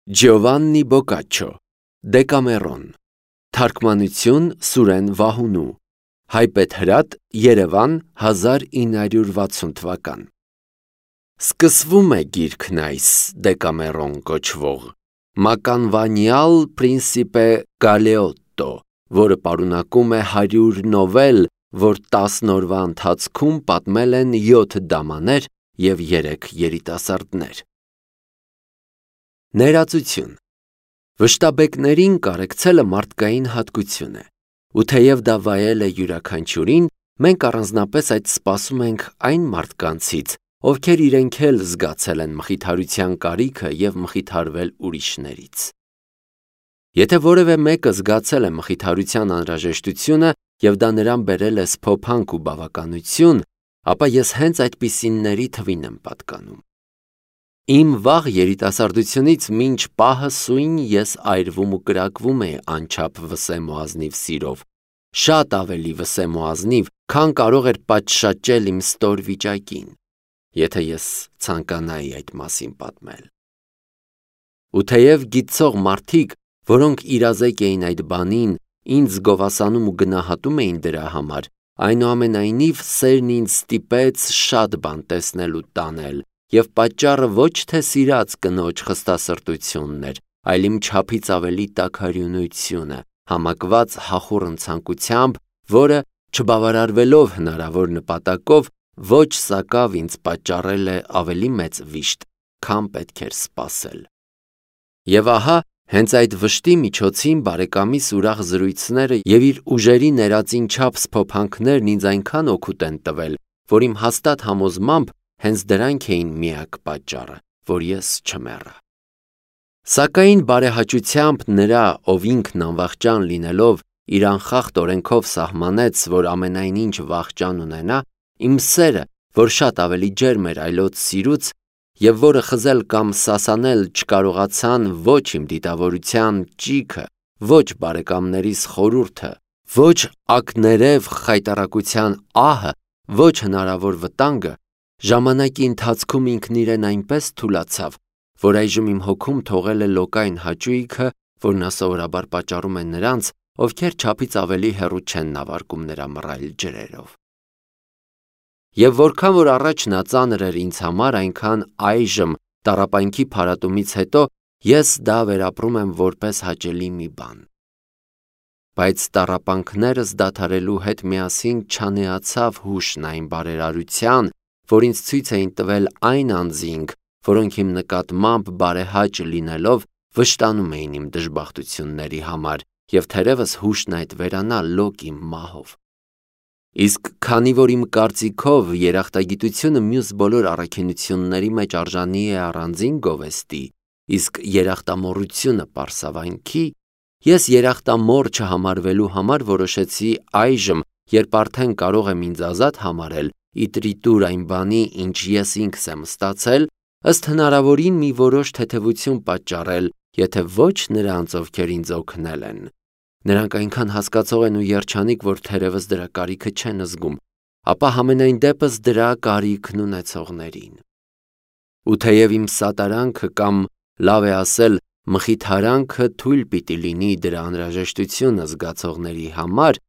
Ջովաննի Բոկաչչո, Դեկամերոն, թարգմանություն Սուրեն Վահունու, հայբեթ հրատ, Երևան 1960 թվական։ Սկսվում է գիրքն այս Դեկամերոն կոչվող մականվանյալ Պրինսիպե Գալեոտտո, որը պարունակում է 100 նովել, որ 10 օրվա ընթացքում պատմել են 7 դամաներ և 3 երիտասարդներ։ Ներածություն։ Վշտաբեկներին կարեկցելը մարդկային հատկություն է, ու թեև դա վայել է յուրաքանչյուրին, մենք առանձնապես այդ սպասում ենք այն մարդկանցից, ովքեր իրենք էլ զգացել են մխիթարության կարիքը և մխիթարվել ուրիշներից։ Եթե որևէ մեկը զգացել է մխիթարության անհրաժեշտությունը և դա նրան բերել է սփոփանք ու բավականություն, ապա ես հենց այդպիսիների թվին եմ պատկանում։ Իմ վաղ երիտասարդությունից մինչ պահը սույն ես այրվում ու կրակվում էի անչափ վսեմ ու ազնիվ սիրով, շատ ավելի վսեմ ու ազնիվ, քան կարող էր պատշաճել իմ ստոր վիճակին, եթե ես ցանկանայի այդ մասին պատմել։ Ու թեև գիտցող մարդիկ, որոնք իրազեկ էին այդ բանին, ինձ գովասանում ու գնահատում էին դրա համար, այնուամենայնիվ սերն ինձ ստիպեց շատ բան տեսնել ու տանել, և պատճառը ոչ թե սիրած կնոջ խստասրտությունն էր, այլ իմ չափից ավելի տաքարյունությունը, համակված հախուռն ցանկությամբ, որը, չբավարարվելով հնարավոր նպատակով, ոչ սակավ ինձ պատճառել է ավելի մեծ վիշտ, քան պետք էր սպասել։ Եվ ահա, հենց այդ վշտի միջոցին բարեկամիս ուրախ զրույցները և իր ուժերի ներածին չափ սփոփանքներն ինձ այնքան օգուտ են տվել, որ իմ հաստատ համոզմամբ հենց դրանք էին միակ պատճառը, որ ես չմեռա։ Սակայն բարեհաճությամբ նրա, ով ինքն անվախճան լինելով, իր անխախտ օրենքով սահմանեց, որ ամենայն ինչ վախճան ունենա, իմ սերը, որ շատ ավելի ջերմ էր այլոց սիրուց, և որը խզել կամ սասանել չկարողացան ոչ իմ դիտավորության ճիգը, ոչ բարեկամներիս խորհուրդը, ոչ ակներև խայտառակության ահը, ոչ հնարավոր վտանգը, ժամանակի ընթացքում ինքն իրեն այնպես թուլացավ, որ այժմ իմ հոգում թողել է լոկային հաճույքը, որն սովորաբար պատճառում է նրանց, ովքեր չափից ավելի հեռու չեն նավարկում նրա մռայլ ջրերով։ Եվ որքան որ առաջ նա ծանր էր ինձ համար, այնքան այժմ տառապանքի փարատումից հետո ես դա վերապրում եմ որպես հաճելի մի բան։ Բայց տառապանքներս դադարելու հետ միասին չանեացավ հուշն այն բարերարության, որ ինձ ցույց էին տվել այն անձինք, որոնք իմ նկատմամբ բարեհաճ լինելով վշտանում էին իմ դժբախտությունների համար, և թերևս հուշն այդ վերանա լոկ իմ մահով։ Իսկ քանի որ իմ կարծիքով երախտագիտությունը մյուս բոլոր առաքինությունների մեջ արժանի է առանձին գովեստի, իսկ երախտամոռությունը պարսավանքի, ես երախտամոռ չհամարվելու համար որոշեցի այժմ, երբ արդեն կարող եմ ինձ ազատ համարել, իտրիտուր այն բանի, ինչ ես ինքս եմ ստացել, ըստ հնարավորին մի որոշ թեթևություն պատճառել, եթե ոչ նրանց, ովքեր ինձ օգնել են։ Նրանք այնքան հասկացող են ու երջանիկ, որ թերևս դրա կարիքը չեն զգում, ապա համենայն դեպս դրա կարիքն ունեցողներին։ Ու թեև իմ սատարանքը կամ, լավ է ասել, մխիթարանքը թույլ պիտի լինի դրա անհրաժեշտությունը զգացողների համար,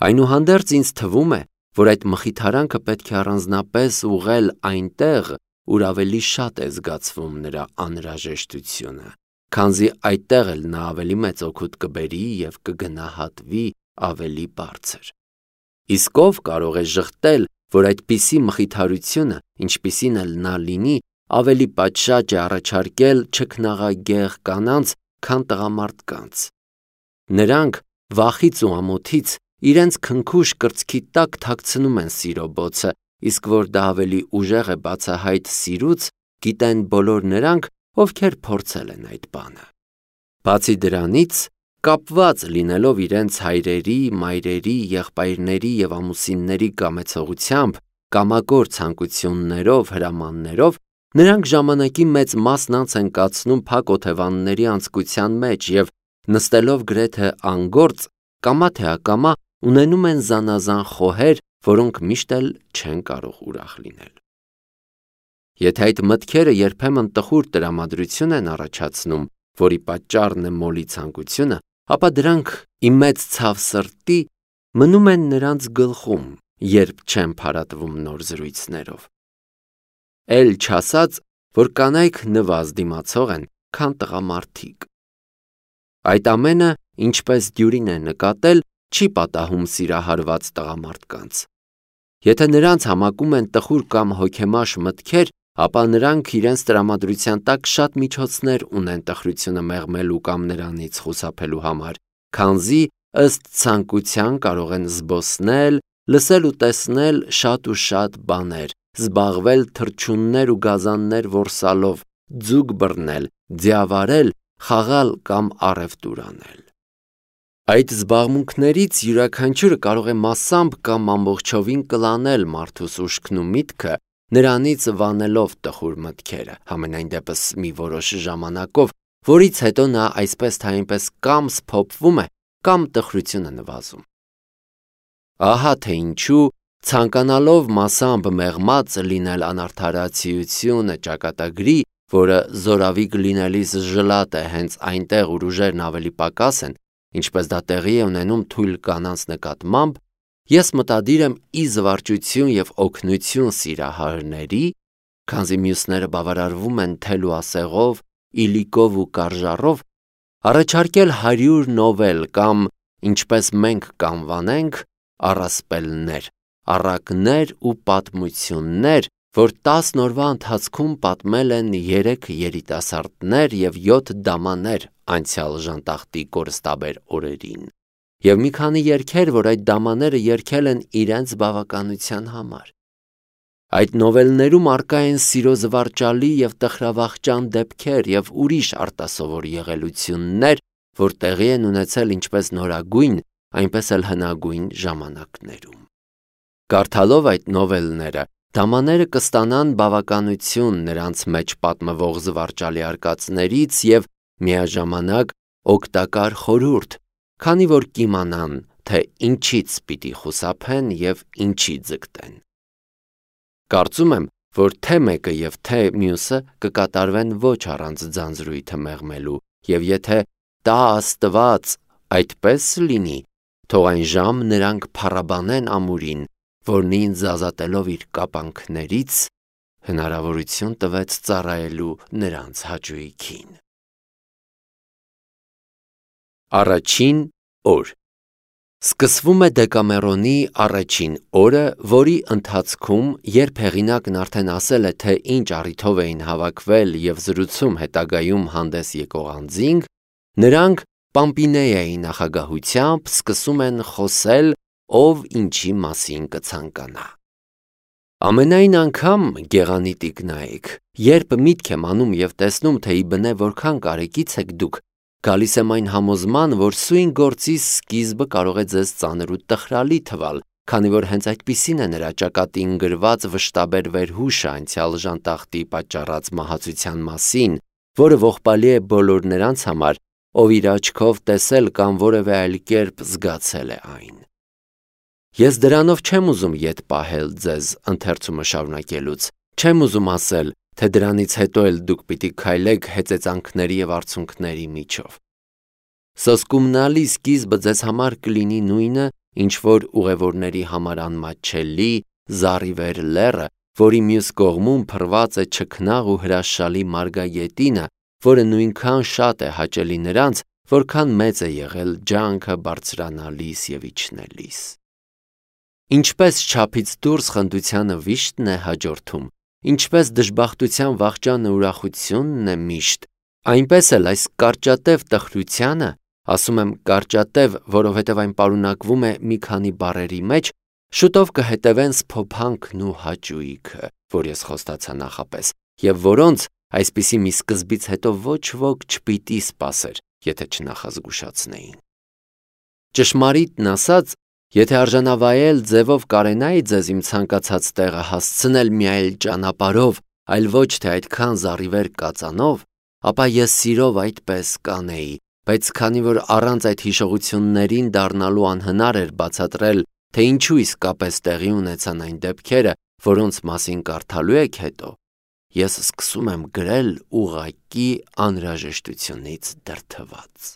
այնուհանդերձ ինձ թվում է, որ այդ մխիթարանքը պետք է առանձնապես ուղղել այնտեղ, ուր ավելի շատ է զգացվում նրա անհրաժեշտությունը, քանզի այդտեղ էլ նա ավելի մեծ օգուտ կբերի և կգնահատվի ավելի բարձր։ Իսկ ով կարող է ժխտել, որ այդպիսի մխիթարությունը, ինչպիսին էլ նա լինի, ավելի պատշաճ է առաջարկել չքնաղագեղ կանանց, քան տղամարդկանց։ Նրանք վախից ու ամոթից իրենց քնքուշ կրծքի տակ թաքցնում են սիրո բոցը, իսկ որ դա ավելի ուժեղ է բացահայտ սիրուց, գիտեն բոլոր նրանք, ովքեր փորձել են այդ բանը։ Բացի դրանից, կապված լինելով իրենց հայրերի, մայրերի, եղբայրների և ամուսինների կամեցողությամբ, կամագոր ցանկություններով, հրամաններով, նրանք ժամանակի մեծ մասն անց են կացնում փակ օթևանների անցկության մեջ և, նստելով գրեթե անգործ, կամա թե ակամա ունենում են զանազան խոհեր, որոնք միշտ էլ չեն կարող ուրախ լինել։ Եթե այդ մտքերը երբեմն տխուր տրամադրություն են առաջացնում, որի պատճառն է մոլի ցանկությունը, ապա դրանք իմ մեծ ցավ սրտի մնում են նրանց գլխում, երբ չեն փարատվում նոր զրույցներով։ Էլ չասած, որ կանայք նվազ դիմացող են, քան տղամարդիկ։ Այդ ամենը, ինչպես Դյուրին է նկատել, չի պատահում սիրահարված տղամարդկանց։ Եթե նրանց համակում են տխուր կամ հոգեմաշ մտքեր, ապա նրանք իրենց տրամադրության տակ շատ միջոցներ ունեն տխրությունը մեղմելու կամ նրանից խուսափելու համար, քանզի ըստ ցանկության կարող են զբոսնել, լսել ու տեսնել շատ ու շատ բաներ, զբաղվել թռչուններ ու գազաններ որսալով, ձուկ բռնել, ձիավարել, խաղալ կամ առևտուր անել։ Այդ զբաղմունքներից յուրաքանչյուրը կարող է մասամբ կամ ամբողջովին կլանել մարդուս ուշքն ու միտքը, նրանից վանելով տխուր մտքերը, համենայն դեպս մի որոշ ժամանակով, որից հետո նա այսպես թե այնպես կամ սփոփվում է, կամ տխրություն է նվազում։ Ահա թե ինչու, ցանկանալով մասամբ մեղմած լինել անարդարացիությունը ճակատագրի, որը զորավի լինելիս ժլատ է հենց այնտեղ, ուր ուժերն ավելի պակաս են, ինչպես դա տեղի է ունենում թույլ կանանց նկատմամբ, ես մտադիր եմ ի զվարճություն և օգնություն սիրահարների, քանզի մյուսները բավարարվում են թել ու ասեղով, իլիկով ու կարժառով, առաջարկել 100 նովել կամ, ինչպես մենք կանվանենք, առասպելներ, առակներ ու պատմություններ, որ 10 օրվա ընթացքում պատմել են 3 երիտասարդներ և 7 դամաներ անցյալ ժանտախտի կորստաբեր օրերին, և մի քանի երգեր, որ այդ դամաները երգել են իրենց բավականության համար։ Այդ նովելներում առկա են սիրո զվարճալի և տխրավախճան դեպքեր և ուրիշ արտասովոր եղելություններ, որ տեղի են ունեցել ինչպես նորագույն, այնպես էլ հնագույն ժամանակներում։ Կարդալով այդ նովելները, դամաները կստանան բավականություն նրանց մեջ պատմվող զվարճալի արկածներից և միաժամանակ օգտակար խորհուրդ, քանի որ կիմանան, թե ինչից պիտի խուսափեն և ինչի ձգտեն։ Կարծում եմ, որ թե մեկը և թե մյուսը կկատարվեն ոչ առանց ձանձրույթը մեղմելու, և եթե տա Աստված այդպես լինի, թող այն ժամ նրանք փառաբանեն ամուրին, որն ինձ ազատելով իր կապանքներից, հնարավորություն տվեց ծառայելու նրանց հաճույքին։ Առաջին օր։ Սկսվում է Դեկամերոնի առաջին օրը, որի ընթացքում, երբ հեղինակն արդեն ասել է, թե ինչ առիթով էին հավաքվել և զրուցում հետագայում հանդես եկող անձինք, նրանք Պամպինեայի նախագահությամբ սկսում են խոսել, ով ինչի մասին կցանկանա։ Ամենայն անգամ, գեղանի տիկնայք, երբ միտք եմ անում և տեսնում, թե իբնե որքան կարեկից եք դուք, գալիս եմ այն համոզման, որ սույն գործի սկիզբը կարող է ձեզ ծանր ու տխրալի թվալ, քանի որ հենց այդպիսին է նրա ճակատին գրված վշտաբեր վերհուշը անցյալ ժանտախտի պատճառած մահացության մասին, որը ողբալի է բոլոր նրանց համար, ով իր աչքով տեսել կամ որևէ այլ կերպ զգացել է այն։ Ես դրանով չեմ ուզում ետ պահել ձեզ ընթերցումը շարունակելուց, չեմ ուզում ասել, թե դրանից հետո էլ դուք պիտի քայլեք հեծեծանքների և արցունքների միջով։ Սոսկումնալի սկիզբը ձեզ համար կլինի նույնը, ինչ որ ուղևորների համար անմատչելի, զառիվեր լեռը, որի մյուս կողմում փռված է չքնաղ ու հրաշալի մարգագետինը, որը նույնքան շատ է հաճելի նրանց, որքան մեծ է եղել ջանքը բարձրանալիս և իջնելիս։ Ինչպես չափից դուրս խնդությանը վիշտն է հաջորդում, ինչպես դժբախտության վախճանը ուրախությունն է միշտ, այնպես էլ այս կարճատև տխրությանը, ասում եմ կարճատև, որովհետև այն պարունակվում է մի քանի բառերի մեջ, շուտով կհետևեն սփոփանքն ու հաճույքը, որ ես խոստացա նախապես, և որոնց այսպիսի մի սկզբից հետո ոչ ոք չպիտի սպասեր, եթե չնախազգուշացնեին։ Ճշմարիտն ասած, եթե արժանավայել ձևով կարենայի ձեզ իմ ցանկացած տեղը հասցնել մի այլ ճանապարհով, այլ ոչ թե այդքան զառիվեր կածանով, ապա ես սիրով այդպես կանեի, բայց քանի որ առանց այդ հիշողություններին դառնալու անհնար էր բացատրել, թե ինչու իսկապես տեղի ունեցան այն դեպքերը, որոնց մասին կարդալու եք հետո, ես սկսում եմ գրել ուղղակի անհրաժեշտությունից դրդված։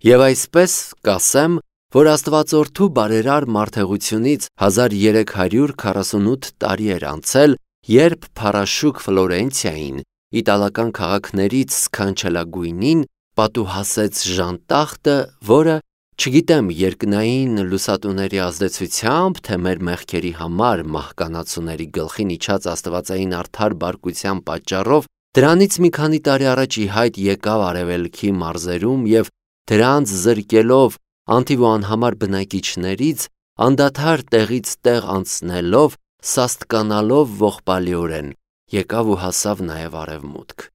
Եվ այսպես կասեմ, որ Աստվածորդու բարերար մարդեղությունից 1348 տարի էր անցել, երբ փառաշուք Ֆլորենցիային, իտալական քաղաքներից սքանչելագույնին, պատուհասեց ժանտախտը, որը, չգիտեմ երկնային լուսատուների ազդեցությամբ, թե մեր մեղքերի համար մահկանացուների գլխին իջած աստվածային արդար բարկության պատճառով, դրանից մի քանի տարի առաջ ի հայտ եկավ արևելքի մարզերում և դրանց զրկելով անթիվ ու անհամար բնակիչներից, անդադար տեղից տեղ անցնելով, սաստկանալով ողբալիորեն, եկավ ու հասավ նաև արևմուտք։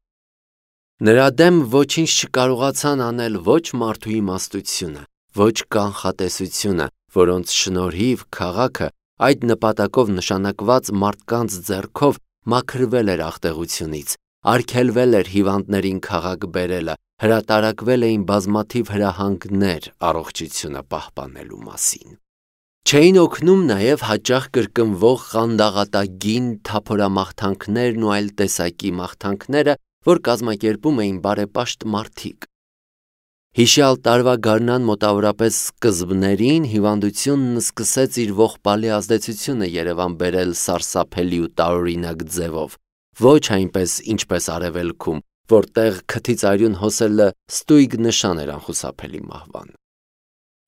Նրա դեմ ոչինչ չկարողացան անել ոչ մարդու իմաստությունը, ոչ կանխատեսությունը, որոնց շնորհիվ քաղաքը այդ նպատակով նշանակված մարդկանց ձեռքով մաքրվել էր աղտեղությունից, արգելվել էր հիվանդներին քաղաք բերելը, հրատարակվել էին բազմաթիվ հրահանգներ առողջությունը պահպանելու մասին։ Չէին օգնում նաև հաճախ կրկնվող խանդաղատագին թափորամաղթանքներն ու այլ տեսակի մաղթանքները, որ կազմակերպում էին բարեպաշտ մարդիկ։ Հիշյալ տարվա գարնան մոտավորապես սկզբներին հիվանդությունն սկսեց իր ողբալի ազդեցությունը Երևան բերել սարսափելի ու տարօրինակ ձևով, ոչ այնպես ինչպես արևելքում, որտեղ քթից արյուն հոսելը ստույգ նշան էր անխուսափելի մահվան։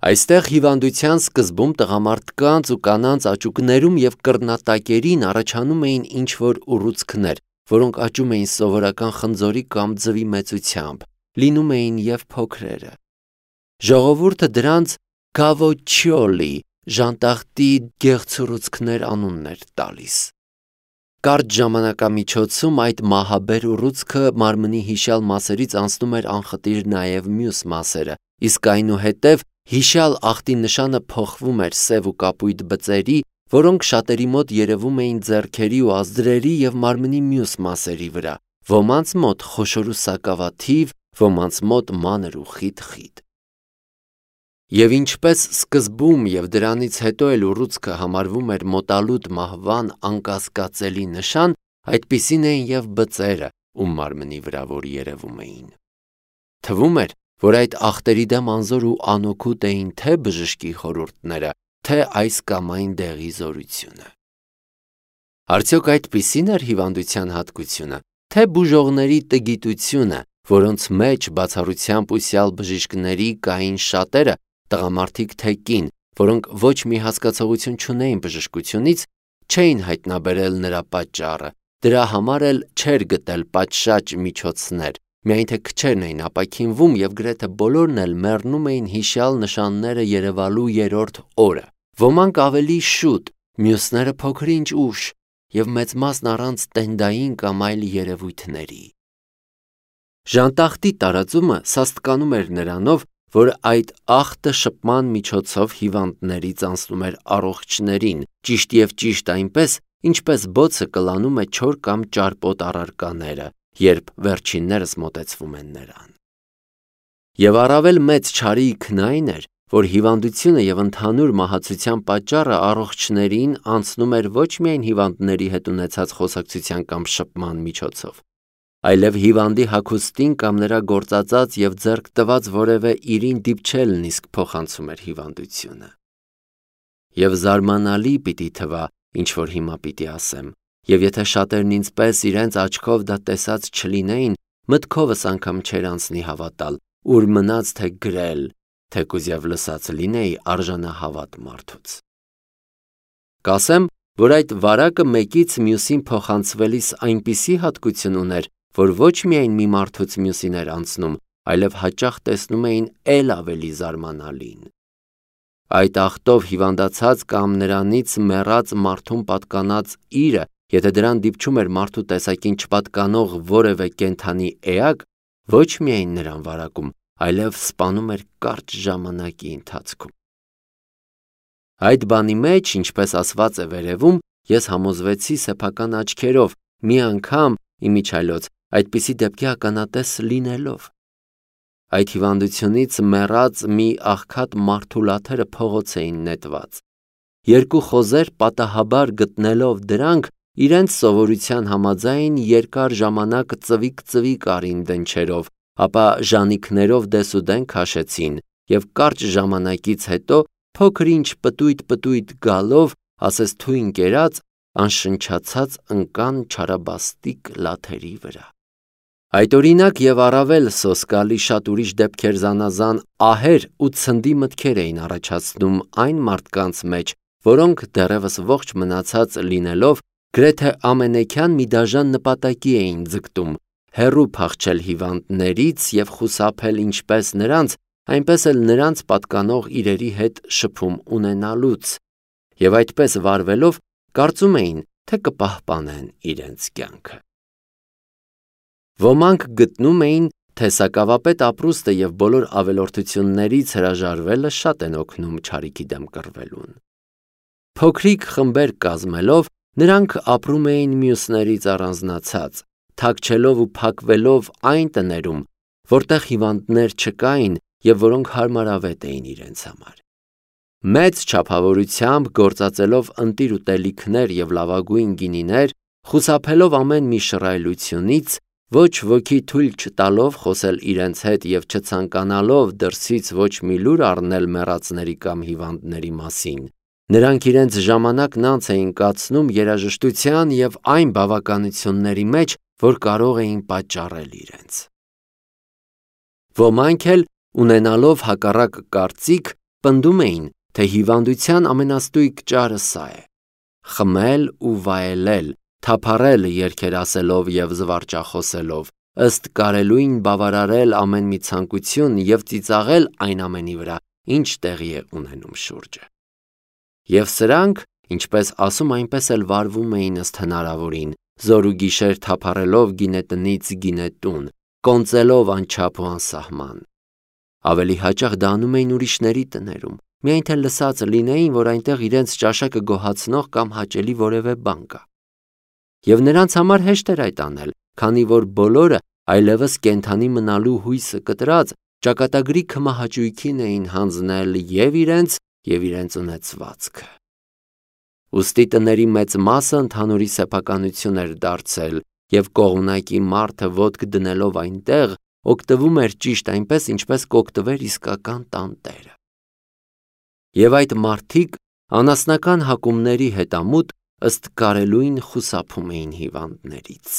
Այստեղ հիվանդության սկզբում տղամարդկանց ու կանանց աճուկներում և կռնատակերին առաջանում էին ինչ-որ ուռուցքներ, որոնք աճում էին սովորական խնձորի կամ ձվի մեծությամբ, լինում էին և փոքրերը։ Ժողովուրդը դրանց կավոչիոլի, ժանտախտի գեղցուռուցքներ անունն էր տալիս։ Կարճ ժամանակամիջոցում այդ մահաբեր ուռուցքը մարմնի հիշյալ մասերից անցնում էր անխտիր նաև մյուս մասերը, իսկ այնուհետև հիշյալ ախտի նշանը փոխվում էր սև ու կապույտ բծերի, որոնք շատերի մոտ երևում էին ձեռքերի ու ազդրերի և մարմնի մյուս մասերի վրա, ոմանց մոտ խոշոր ու սակավաթիվ, ոմանց մոտ մանր ու խիտ-խիտ։ Եվ ինչպես սկզբում և դրանից հետո էլ ուռուցքը համարվում էր մոտալուտ մահվան անկասկածելի նշան, այդպիսին էին և բծերը, ում մարմնի վրա որ երևում էին։ Թվում էր, որ այդ ախտերի դեմ անզոր ու անօգուտ էին թե բժշկի խորհուրդները, թե այս կամ այն դեղի զորությունը։ Արդյոք այդպիսի՞ն էր հիվանդության հատկությունը, թե բուժողների տգիտությունը, որոնց մեջ բացառությամբ ուսյալ բժիշկների կային շատերը, տղամարդիկ թե կին, որոնք ոչ մի հասկացողություն չունեին բժշկությունից, չէին հայտնաբերել նրա պատճառը, դրա համար էլ չէր գտել պատշաճ միջոցներ, միայն թե քչերն էին ապաքինվում և գրեթե բոլորն էլ մեռնում էին հիշյալ նշանները երևալու երրորդ օրը, ոմանք ավելի շուտ, մյուսները փոքր-ինչ ուշ և մեծ մասն առանց տենդային կամ այլ երևույթների։ Ժանտախտի տարածումը սաստկանում էր նրանով, որ այդ ախտը շփման միջոցով հիվանդներից անցնում էր առողջներին, ճիշտ և ճիշտ այնպես, ինչպես բոցը կլանում է չոր կամ ճարպոտ առարկաները, երբ վերջիններս մոտեցվում են նրան։ Եվ առավել մեծ չարիքն այն էր, որ հիվանդությունը և ընդհանուր մահացության պատճառը առողջներին անցնում էր ոչ միայն հիվանդների հետ ունեցած խոսակցության կամ շփման միջոցով, այլև հիվանդի հագուստին կամ նրա գործածած և ձեռք տված որևէ իրին դիպչելն իսկ փոխանցում էր հիվանդությունը։ Եվ զարմանալի պիտի թվա, ինչ որ հիմա պիտի ասեմ, և եթե շատերն ինձ պես իրենց աչքով դա տեսած չլինեին, մտքովս անգամ չէր անցնի հավատալ, ուր մնաց թե գրել, թեկուզ և լսած լինեի արժանահավատ մարդուց։ Կասեմ, որ այդ վարակը մեկից մյուսին փոխանցվելիս այնպիսի հատկություն ուներ, որ ոչ միայն մի մարդուց մյուսին էր անցնում, այլև հաճախ տեսնում էին էլ ավելի զարմանալին։ Այդ ախտով հիվանդացած կամ նրանից մեռած մարդուն պատկանած իրը, եթե դրան դիպչում էր մարդու տեսակին չպատկանող որևէ կենդանի էակ, ոչ միայն նրան վարակում, այլև սպանում էր կարճ ժամանակի ընթացքում։ Այդ բանի մեջ, ինչպես ասված է վերևում, ես համոզվեցի սեփական աչքերով, մի անգամ իմիջիայլոց այդպիսի դեպքի ականատես լինելով։ Այդ հիվանդությունից մեռած մի աղքատ մարդու լաթերը փողոց էին նետված։ Երկու խոզեր պատահաբար գտնելով դրանք, իրենց սովորության համաձայն երկար ժամանակ ծվիկ արին դնչերով, ապա ժանիքներով դեսուդեն քաշեցին և կարճ ժամանակից հետո փոքր-ինչ պտույտ գալով, ասես թույն կերած, անշնչացած ընկան չարաբաստիկ լաթերի վրա։ Այդ օրինակ և առավել սոսկալի շատ ուրիշ դեպքեր զանազան ահեր ու ցնդի մտքեր էին առաջացնում այն մարդկանց մեջ, որոնք դեռևս ողջ մնացած լինելով գրեթե ամենեքյան մի դաժան նպատակի էին ձգտում՝ հեռու փախչել հիվանդներից և խուսափել ինչպես նրանց, այնպես էլ նրանց պատկանող իրերի հետ շփում ունենալուց, և այդպես վարվելով կարծում էին, թե կպահպանեն իրենց կյանքը։ Ոմանք գտնում էին, թե սակավապետ ապրուստը և բոլոր ավելորդություններից հրաժարվելը շատ են օգնում չարիքի դեմ կռվելուն։ Փոքրիկ խմբեր կազմելով նրանք ապրում էին մյուսներից առանձնացած, թաքչելով ու փակվելով այն տներում, որտեղ հիվանդներ չկային և որոնք հարմարավետ էին իրենց համար։ Մեծ չափավորությամբ գործածելով ընտիր ուտելիքներ և լավագույն գինիներ, խուսափելով ամեն մի շռայլությունից, ոչ ոքի թույլ չտալով խոսել իրենց հետ և չցանկանալով դրսից ոչ մի լուր առնել մեռածների կամ հիվանդների մասին, նրանք իրենց ժամանակն անց էին կացնում երաժշտության և այն բավականությունների մեջ, որ կարող էին պատճառել իրենց։ Ոմանք էլ, ունենալով հակառակ կարծիք, պնդում էին, թե հիվանդության ամենաստույգ ճարը սա է՝ խմել ու վայելել, թափառել երգեր ասելով և զվարճախոսելով, ըստ կարելույն բավարարել ամեն մի ցանկություն և ծիծաղել այն ամենի վրա, ինչ տեղի է ունենում շուրջը։ Եվ սրանք, ինչպես ասում, այնպես էլ վարվում էին ըստ հնարավորին, զոր ու գիշեր թափառելով գինետնից գինետուն, կոնծելով անչափ ու անսահման։ Ավելի հաճախ դա անում էին ուրիշների տներում, միայն թե լսած լինեին, որ այնտեղ իրենց ճաշակը գոհացնող կամ հաճելի որևէ բան կա։ Եվ նրանց համար հեշտ էր այդ անել, քանի որ բոլորը այլևս կենդանի մնալու հույսը կտրած ճակատագրի քմահաճույքին էին հանձնել և իրենց ունեցվածքը։ Ուստի տների մեծ մասը ընդհանուրի սեփականություն էր դարձել, և կողմնակի մարդը ոտք դնելով այնտեղ, օգտվում էր ճիշտ այնպես, ինչպես կօգտվեր իսկական տանտերը։ Եվ այդ մարդիկ անասնական հակումների հետամուտ ըստ կարելույն խուսափում էին հիվանդներից։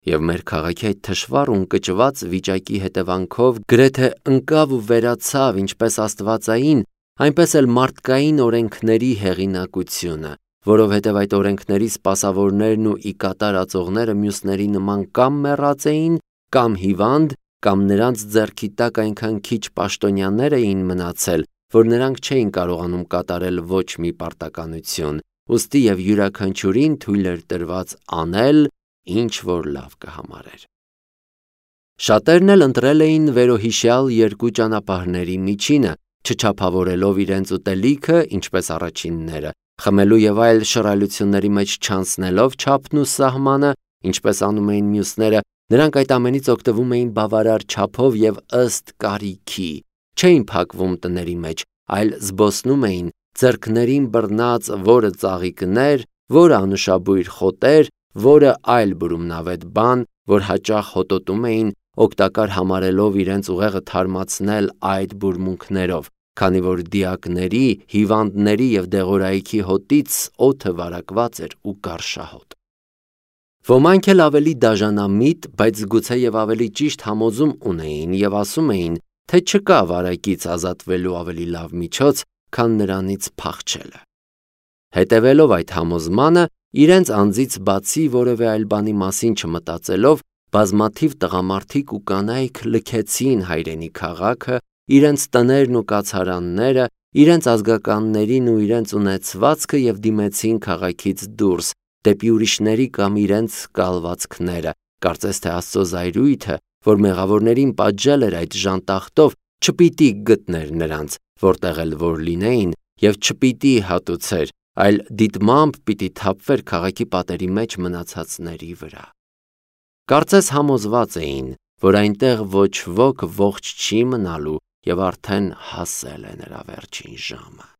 Եվ մեր քաղաքի այդ թշվառ ու ընկճված վիճակի հետևանքով գրեթե ընկավ ու վերացավ ինչպես աստվածային, այնպես էլ մարդկային օրենքների հեղինակությունը, որովհետև այդ օրենքների սպասավորներն ու ի կատար ածողները մյուսների նման կամ մեռած էին, կամ հիվանդ, կամ նրանց ձեռքի տակ այնքան քիչ պաշտոնյաներ էին մնացել, որ նրանք չէին կարողանում կատարել ոչ մի պարտականություն, ուստի և յուրաքանչյուրին թույլ էր տրված անել, ինչ որ լավ կհամարեր։ Շատերն էլ ընտրել էին վերոհիշյալ երկու ճանապարհների միջինը, չչափավորելով իրենց ուտելիքը, ինչպես առաջինները, խմելու և այլ շռայլությունների մեջ չանցնելով չափն ու սահմանը, ինչպես անում էին մյուսները, նրանք այդ ամենից օգտվում էին բավարար չափով և ըստ կարիքի, չէին փակվում տների մեջ, այլ զբոսնում էին, ձեռքներին բռնած որը ծաղիկներ, որը անուշաբույր խոտեր, որը այլ բուրումնավետ բան, որ հաճախ հոտոտում էին, օգտակար համարելով իրենց ուղեղը թարմացնել այդ բուրմունքներով, քանի որ դիակների, հիվանդների և դեղորայքի հոտից օդը վարակված էր ու կարշահոտ։ Ոմանք էլ ավելի դաժանամիտ, բայց գուցեև ավելի ճիշտ համոզում ունեին և ասում էին, թե չկա վարակից ազատվելու ավելի լավ միջոց, քան նրանից փախչելը։ Հետևելով այդ համոզմանը, իրենց անձից բացի որևէ այլ բանի մասին չմտածելով, բազմաթիվ տղամարդիկ ու կանայք լքեցին հայրենի քաղաքը, իրենց տներն ու կացարանները, իրենց ազգականներին ու իրենց ունեցվածքը և դիմեցին քաղաքից դուրս, դեպի ուրիշների կամ իրենց կալվածքները, կարծես թե Աստծո զայրույթը, որ մեղավորներին պատժել էր այդ ժանտախտով, չպիտի գտներ նրանց, որտեղ էլ որ լինեին, և չպիտի հատուցեր, այլ դիտմամբ պիտի թափվեր քաղաքի պատերի մեջ մնացածների վրա։ Կարծես համոզված էին, որ այնտեղ ոչ ոք ողջ չի մնալու և արդեն հասել է նրա վերջին ժամը։